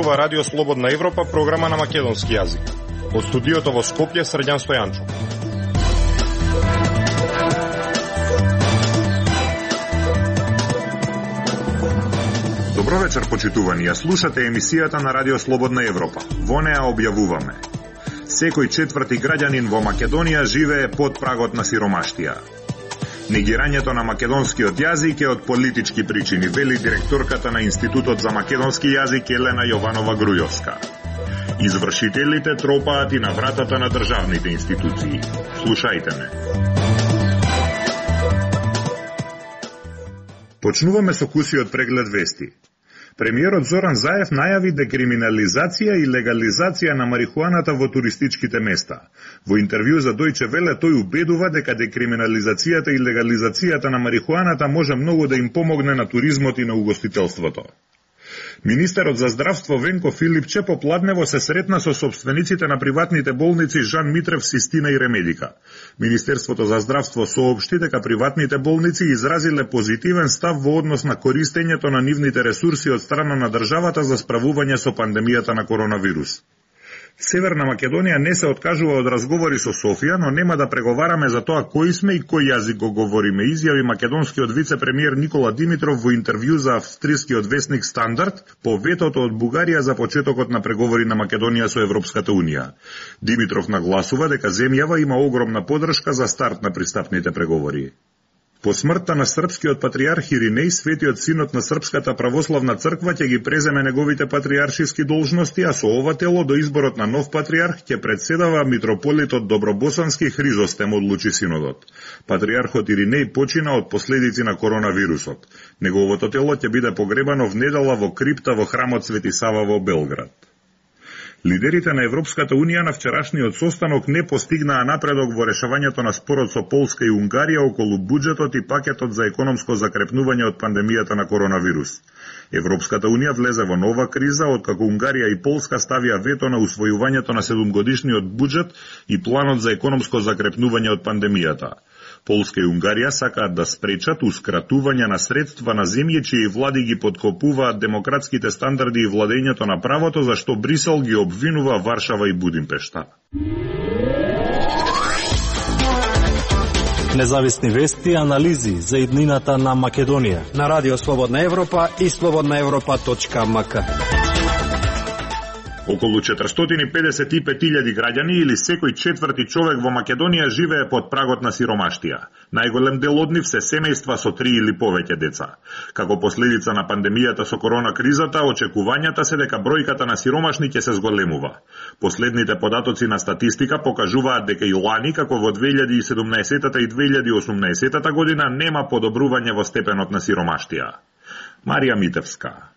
зборува Радио Слободна Европа, програма на македонски јазик. Од студиото во Скопје, Срđan Стојанчо. Добро вечер, почитувани. Ја слушате емисијата на Радио Слободна Европа. Во неа објавуваме: секој четврти граѓанин во Македонија живее под прагот на сиромаштија. Негирањето на македонскиот јазик е од политички причини, вели директорката на Институтот за македонски јазик Елена Јованова Грујовска. Извршителите тропаат и на вратата на државните институции. Слушајте ме. Почнуваме со кусиот преглед вести. Премиерот Зоран Заев најави декриминализација и легализација на марихуаната во туристичките места. Во интервју за Дојче Веле тој убедува дека декриминализацијата и легализацијата на марихуаната може многу да им помогне на туризмот и на угостителството. Министерот за здравство Венко Филипче попладнево се сретна со собствениците на приватните болници Жан Митрев, Систина и Ремедика. Министерството за здравство соопшти дека приватните болници изразиле позитивен став во однос на користењето на нивните ресурси од страна на државата за справување со пандемијата на коронавирус. Северна Македонија не се откажува од разговори со Софија, но нема да преговараме за тоа кои сме и кој јазик го говориме, изјави македонскиот вице-премиер Никола Димитров во интервју за австрискиот весник Стандард по ветото од Бугарија за почетокот на преговори на Македонија со Европската Унија. Димитров нагласува дека земјава има огромна поддршка за старт на пристапните преговори. По смртта на српскиот патриарх Иринеј, светиот синот на Српската православна црква ќе ги преземе неговите патриаршиски должности, а со ова тело до изборот на нов патриарх ќе председава митрополитот Добробосански Хризостем, одлучи синодот. Патриархот Иринеј почина од последици на коронавирусот. Неговото тело ќе биде погребано в недела во крипта во храмот Свети Сава во Белград. Лидерите на Европската Унија на вчерашниот состанок не постигнаа напредок во решавањето на спорот со Полска и Унгарија околу буџетот и пакетот за економско закрепнување од пандемијата на коронавирус. Европската Унија влезе во нова криза откако Унгарија и Полска ставија вето на усвојувањето на 7-годишниот буџет и планот за економско закрепнување од пандемијата. Полска и Унгарија сакаат да спречат ускратување на средства на земји чии влади ги подкопуваат демократските стандарди и владењето на правото, за што Брисел ги обвинува Варшава и Будимпешта. Независни вести и анализи за иднината на Македонија на Радио Слободна Европа и slobodnaevropa.mk. Околу 455.000 граѓани или секој четврти човек во Македонија живее под прагот на сиромаштија. Најголем дел од нив се семејства со 3 или повеќе деца. Како последица на пандемијата со корона кризата, очекувањата се дека бројката на сиромашни ќе се зголемува. Последните податоци на статистика покажуваат дека и лани, како во 2017 и 2018 година, нема подобрување во степенот на сиромаштија. Марија Митевска.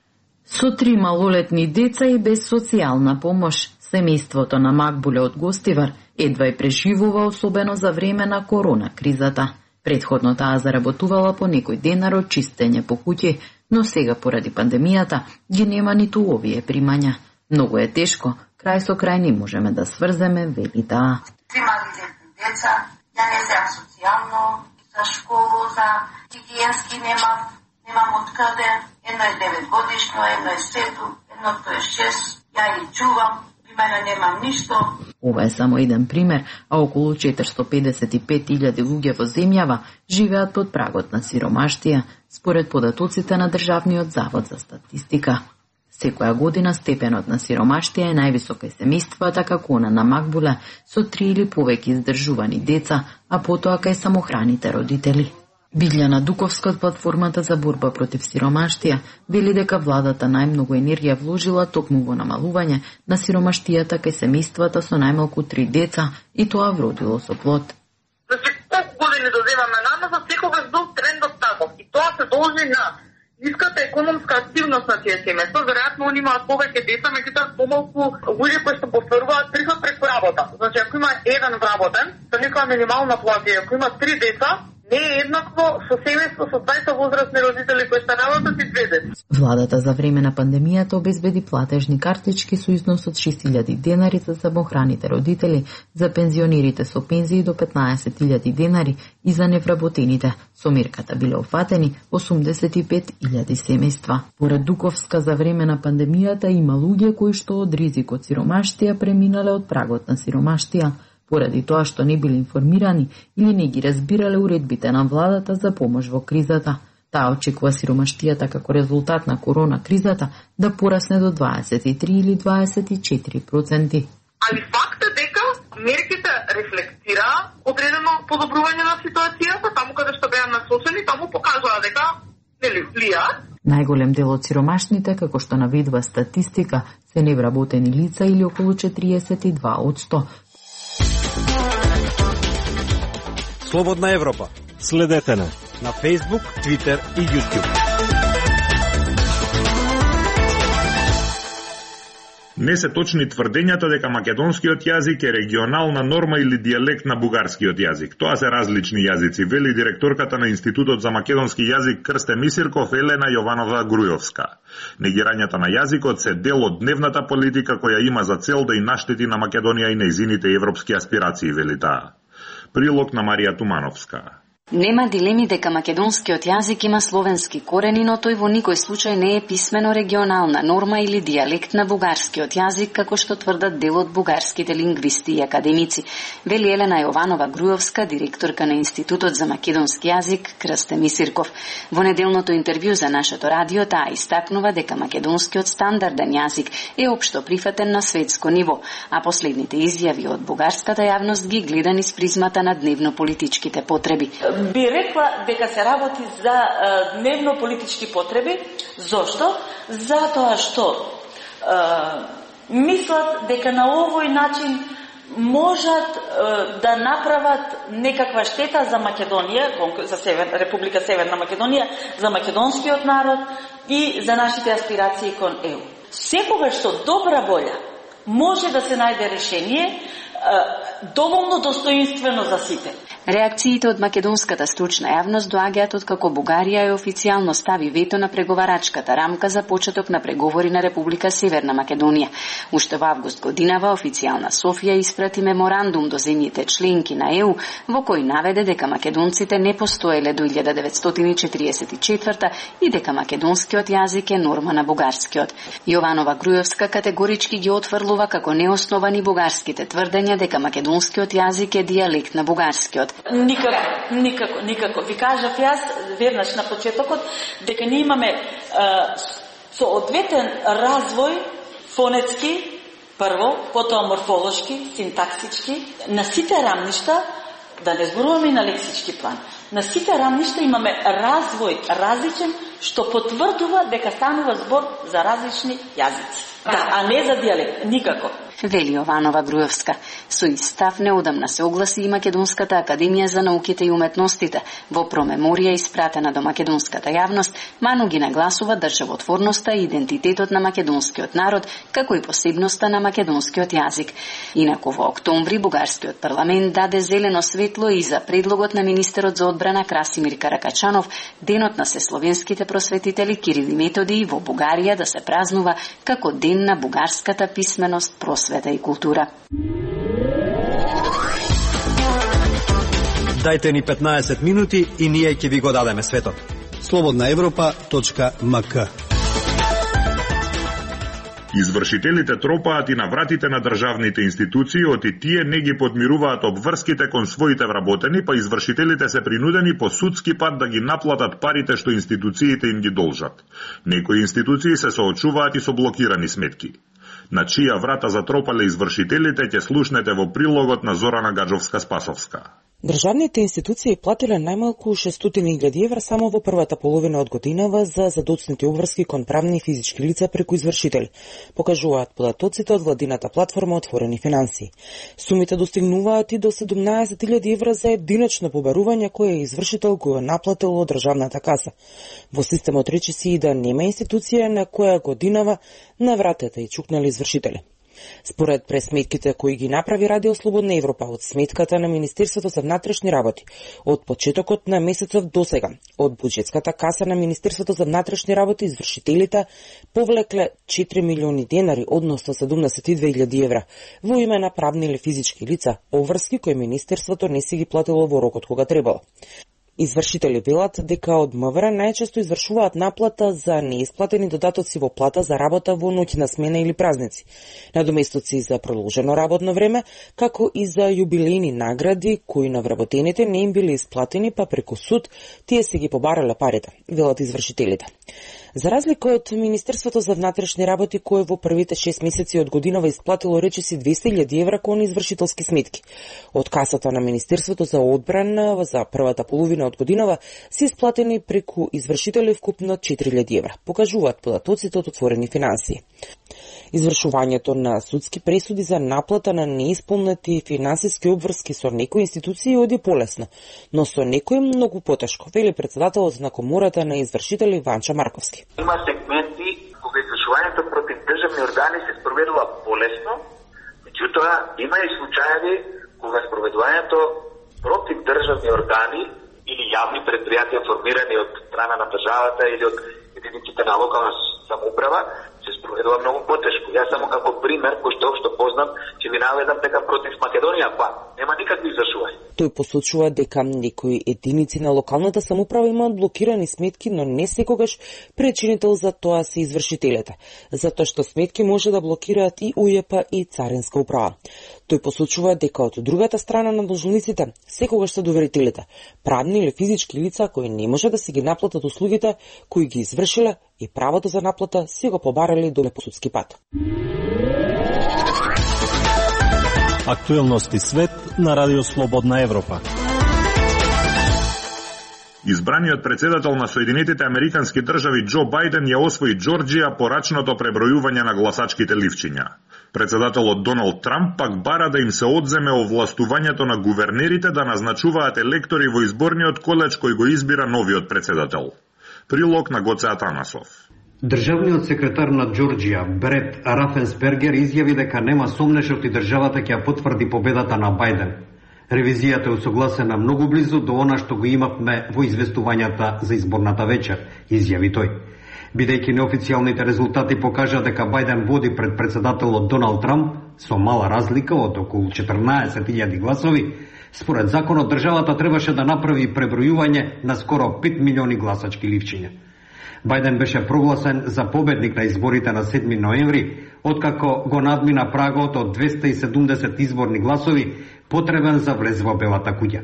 Со 3 малолетни деца и без социјална помош, семејството на Макбуле од Гостивар едва и преживува, особено за време на корона кризата. Предходно таа заработувала по некој денар од чистење по куќи, но сега поради пандемијата ги нема ниту овие примања. Многу е тешко, крај со крај не можеме да сврземе, вели таа. 3 малолетни деца, ја не земам социјално, за школу, за хигиенски немам откаде. Едно е 9 годишно, едно е 7, едното е 6, ја ги чувам, при мене немам ништо. Ова е само еден пример, а околу 455.000 луѓе во земјава живеат под прагот на сиромаштија, според податоците на Државниот завод за статистика. Секоја година степенот на сиромаштија е највисока и семејствата како она на Макбуле со 3 или повеќе издржувани деца, а потоа кај самохраните родители. Билјана Дуковска од платформата за борба против сиромаштија вели дека владата најмногу енергија вложила токму во намалување на сиромаштијата кај семејствата со најмалку 3 деца и тоа вродило со плод. Значи, колку години доземаме наназад, секогаш бил трендот таков и тоа се должи на ниската економска активност на тие семејства. Веројатно они имаат повеќе деца, меѓутоа помалку луѓе кои што поферуваат приход преку работа. Значи, ако има еден вработен, со некоја минимална плата, ако има 3 деца, не е еднакво со семејство со 20 возрастни родители кои се работат и 2 деца. Владата за време на пандемијата обезбеди платежни картички со износ од 6.000 денари за самохраните родители, за пензионерите со пензии до 15.000 денари и за невработените. Со мерката биле офатени 85.000 семејства. Поред Дуковска, за време на пандемијата има луѓе кои што од ризик од сиромаштија преминале од прагот на сиромаштија, поради тоа што не биле информирани или не ги разбирале уредбите на владата за помош во кризата. Таа очекува сиромаштијата како резултат на корона кризата да порасне до 23 или 24%. Али факт е дека мерките рефлектира одредено подобрување на ситуацијата, таму каде што беа насочени, таму покажува дека нели влијаат. Најголем дел од сиромашните, како што наведува статистика, се невработени лица или околу 42%. Слободна Европа. Следете на Facebook, Twitter и YouTube. Не се точни тврдењата дека македонскиот јазик е регионална норма или дијалект на бугарскиот јазик. Тоа се различни јазици, вели директорката на Институтот за македонски јазик Крсте Мисирков Елена Јованова Грујовска. Негирањата на јазикот се дел од дневната политика која има за цел да и наштети на Македонија и нејзините европски аспирации, вели таа. Прилог на Марија Тумановска. Нема дилеми дека македонскиот јазик има словенски корени, но тој во никој случај не е писмено регионална норма или дијалект на бугарскиот јазик, како што тврдат дел од бугарските лингвисти и академици, вели Елена Јованова Грујовска, директорка на Институтот за македонски јазик Крсте Мисирков. Во неделното интервју за нашето радио таа истакнува дека македонскиот стандарден јазик е општо прифатен на светско ниво, а последните изјави од бугарската јавност ги гледа низ призмата на дневно-политичките потреби. Би рекла дека се работи за дневно-политички потреби. Зошто? Затоа што мислат дека на овој начин можат да направат некаква штета за Македонија, за Република Северна Македонија, за македонскиот народ и за нашите аспирации кон ЕУ. Секогаш што добра волја може да се најде решение доволно достоинствено за сите. Реакциите од македонската стручна јавност доаѓаат од како Бугарија е официјално стави вето на преговарачката рамка за почеток на преговори на Република Северна Македонија. Уште во август годинава официјална Софија испрати меморандум до земјите членки на ЕУ во кој наведе дека македонците не постоеле до 1944 и дека македонскиот јазик е норма на бугарскиот. Јованова Грујовска категорички ги отфрлува како неосновани бугарските тврдења дека македонскиот јазик е дијалект на бугарскиот. Никако. Ви кажав јас веднаш на почетокот дека ние имаме соодветен развој фонетски, прво, потоа морфолошки, синтаксички, на сите рамништа, да не зборуваме и на лексички план. На сите рамништа имаме развој различен, што потврдува дека станува збор за различни јазици. Да, а не за дијалект, никако. Вели Јованова Грујовска. Со истав неодамна се огласи и Македонската академија за науките и уметностите. Во промеморија испратена до македонската јавност, ману ги нагласува државотворноста и идентитетот на македонскиот народ, како и посебноста на македонскиот јазик. Инаку во октомври бугарскиот парламент даде зелено светло и за предлогот на министерот за одбрана Красимир Каракачанов, денот на сесловенските просветители Кирил и Методи во Бугарија да се празнува како ден на бугарската писменост, просвета и култура. Дајте ни 15 минути и ние ќе ви го дадеме светот. slobodnaevropa.mk. Извршителите тропаат и на вратите на државните институции, оти тие не ги подмируваат обврските кон своите вработени, па извршителите се принудени по судски пат да ги наплатат парите што институциите им ги должат. Некои институции се соочуваат и со блокирани сметки. На чија врата затропале извршителите ќе слушнете во прилогот на Зорана Гаджовска-Спасовска. Државните институции платиле најмалку 600.000 евра само во првата половина од годинава за задоцнати обврски кон правни и физички лица преку извршители, покажуваат податоците од владината платформа Отворени финанси. Сумите достигнуваат и до 17.000 евра за единично побарување кој извршител го е наплатил од државната каса. Во системот речиси и да нема институција на која годинава на вратата и чукнали извршители. Според пресметките кои ги направи Радио Слободна Европа од сметката на Министерството за внатрешни работи, од почетокот на месецов досега, од буџетската каса на Министерството за внатрешни работи извршителите повлекле 4 милиони денари, односно 72.000 евра, во име на правни или физички лица, обврски кои Министерството не си ги платило во рокот кога требало. Извршители велат дека од МВР најчесто извршуваат наплата за неисплатени додатоци во плата за работа во ноќна смена или празници, надоместоци за продолжено работно време, како и за јубилејни награди кои на вработените не им били исплатени, па преку суд тие се ги побарале парите, велат извршителите. За разлика од Министерството за внатрешни работи, кое во првите 6 месеци од годинава исплатило речиси 200.000 евра кон извршителски сметки. Од касата на Министерството за одбрана за првата половина од годинава се исплатени преку извршители вкупно 4.000 евра, покажуваат податоците од отворени финансии. Извршувањето на судски пресуди за наплата на неисполнети финансиски обврски со некои институции оди полесно, но со некои многу потешко, вели председателот на Комората на извршители Ванча Марковски. Има сегменти кога извршувањето против државни органи се спроведува полесно, меѓутоа има и случаеви кога спроведувањето против државни органи или јавни предпријатија формирани од страна на државата или од единиците на локална самоуправа се спроведува многу потешко. Јас само како пример, кој што познам, ќе ви наведам дека против Македонија нема никакви извршувања. Тој посочува дека некои единици на локалната самоуправа имаат блокирани сметки, но не секогаш причинител за тоа се извршителите, затоа што сметки може да блокираат и УЈП и Царинска управа. Тој посочува дека од другата страна на должниците секогаш се доверителите, правни или физички лица кои не може да се ги наплатат услугите кои ги извршиле и правото за наплата си го побарали до непосудски пат. Актуелности свет на Радио Слободна Европа. Избраниот председател на Соединетите Американски држави Џо Бајден ја освои Џорџија по рачното пребројување на гласачките ливчиња. Председателот Доналд Трамп пак бара да им се одземе овластувањето на гувернерите да назначуваат електори во изборниот колеж кој го избира новиот председател. Прилог на Гоце Атанасов. Државниот секретар на Џорџија, Брет Рафенсбергер, изјави дека нема сомнеш оти државата ќе ја потврди победата на Бајден. Ревизијата е усогласена многу близу до она што го имавме во известувањата за изборната вечер, изјави тој. Бидејќи неофицијалните резултати покажа дека Бајден води пред председателот Доналд Трамп со мала разлика од околу 14.000 гласови, според законот државата требаше да направи пребројување на скоро 5 милиони гласачки ливчиња. Бајден беше прогласен за победник на изборите на 7 ноември, откако го надмина прагот од 270 изборни гласови потребен за влез во Белата куќа.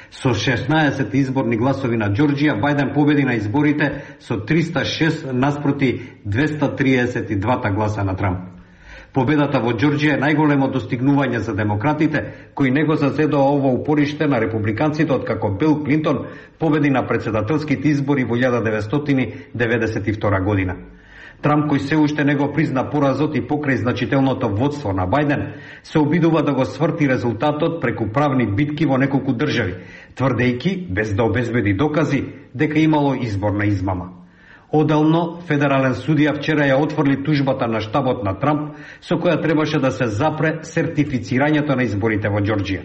Со 16 изборни гласови на Џорџија, Бајден победи на изборите со 306 наспроти 232 гласа на Трамп. Победата во Џорџија е најголемо достигнување за демократите, кои не го зазедоа ово упориште на републиканците откако Бил Клинтон победи на председателските избори во 1992 година. Трамп, кој се уште не го призна поразот и покрај значителното водство на Бајден, се обидува да го сврти резултатот преку правни битки во неколку држави, тврдејќи, без да обезбеди докази, дека имало изборна измама. Одделно, федерален судија вчера ја отфрли тужбата на штабот на Трамп, со која требаше да се запре сертифицирањето на изборите во Џорџија.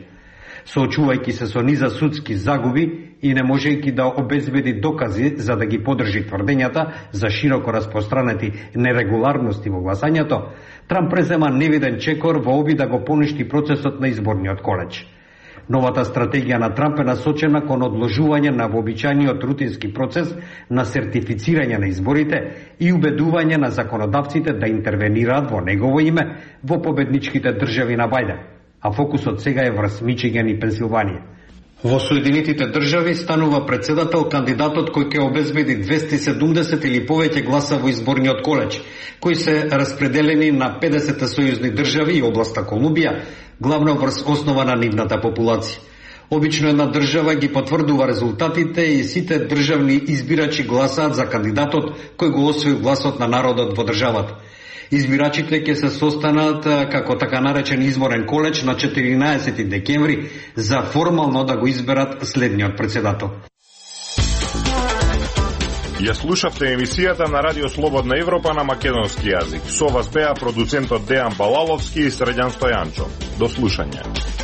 Соочувајќи се со низа судски загуби и не можејќи да обезбеди докази за да ги подржи тврдењата за широко распространети нерегуларности во гласањето, Трамп презема невиден чекор во обид да го поништи процесот на изборниот колеж. Новата стратегија на Трамп е насочена кон одложување на вообичаениот рутински процес на сертифицирање на изборите и убедување на законодавците да интервенираат во негово име во победничките држави на Бајден, а фокусот сега е врз Мичиган и Пенсилванија. Во Соединетите држави станува председател кандидатот кој ќе обезбеди 270 или повеќе гласа во изборниот колеж, кои се распределени на 50 сојузни држави и областа Колумбија, главно врз основа на нивната популација. Обично една држава ги потврдува резултатите и сите државни избирачи гласаат за кандидатот кој го освои гласот на народот во државата. Избирачите ќе се состанат како така наречен изборен колеж на 14 декември за формално да го изберат следниот председател. Ја слушавте емисијата на Радио Слободна Европа на македонски јазик. Со вас беа продуцентот Дејан Балаловски и Средјан Стојанчо. До слушање.